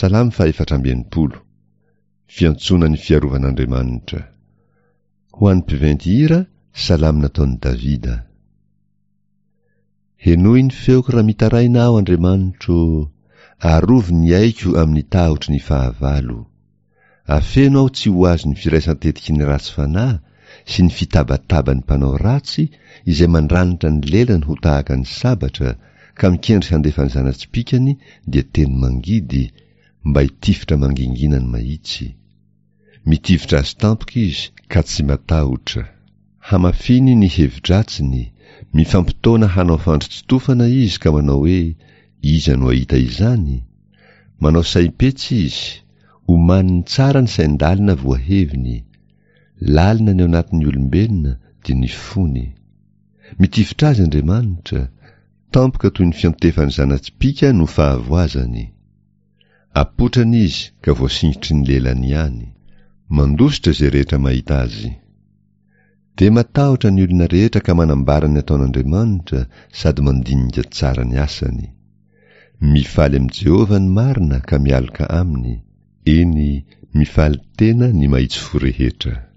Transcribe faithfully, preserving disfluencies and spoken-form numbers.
Salamo fahefatra amby enimpolo. Fiantsoana ny fiarovan'Andriamanitra. Ho an'ny mpiventy hira, salamo nataon'i Davida. Henoy ny feoko raha mitaraina aho, Andriamanitro, arovy ny aiko amin'ny tahotry ny fahavalo. Afeno aho tsy ho azon'ny firaisan-tetiky ny ratsy fanahy sy ny fitabataban'ny mpanao ratsy izay mandranitra ny lelany ho tahaka ny sabatra ka mikendry handefa ny zana-tsipìkany dia teny mangidy mba hitifitra mangingina ny mahitsy. Mitifitra azy tampoka izy ka tsy matahotra. Hamafiny ny hevi-dratsiny, mifampitaona hanao fandri-tsitofana izy ka manao hoe iza no hahita izany? Manao saim-petsy izy, omaniny tsara ny sain-dalina voaheviny. Lalina ny ao anatin'ny olombelona dia ny fony. Mitifitra azy Andriamanitra, tampoka toy ny fiantefan'ny zana-tsipìka no fahavoazany. Apotrany izy ka voasingitry ny lelany ihany. Mandositra izay rehetra mahita azy. Dia matahotra ny olona rehetra ka manambara ny ataon'Andriamanitra sady mandinika tsara ny asany. Mifaly amin'i Jehovah ny marina ka mialoka aminy. Eny, mifaly tena ny mahitsy fo rehetra.